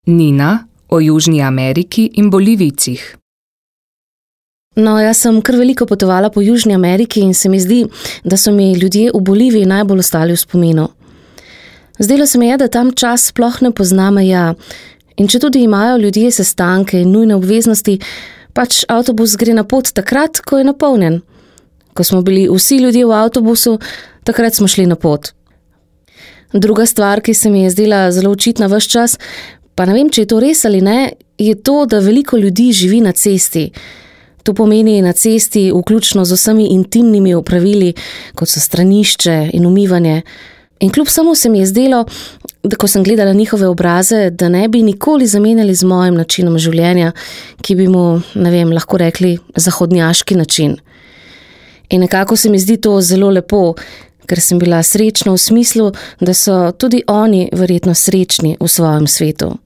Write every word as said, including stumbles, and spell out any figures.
Nina o Južni Ameriki in Bolivijcih. No, jaz sem kar veliko potovala po Južni Ameriki in se mi zdi, da so mi ljudje v Boliviji najbolj ostali v spominu. Zdelo se mi je, da tam čas sploh ne pozna meja in če tudi imajo ljudje sestanke in nujne obveznosti, pač avtobus gre na pot takrat, ko je napolnjen. Ko smo bili vsi ljudje v avtobusu, takrat smo šli na pot. Druga stvar, ki se mi je zdela zelo očitna ves čas, pa ne vem, če je to res ali ne, je to, da veliko ljudi živi na cesti. To pomeni na cesti vključno z vsemi intimnimi opravili, kot so stranišče in umivanje. In kljub samo se mi je zdelo, da ko sem gledala njihove obraze, da ne bi nikoli zamenjali z mojim načinom življenja, ki bi mu, ne vem, lahko rekli zahodnjaški način. In nekako se mi zdi to zelo lepo, ker sem bila srečna v smislu, da so tudi oni verjetno srečni v svojem svetu.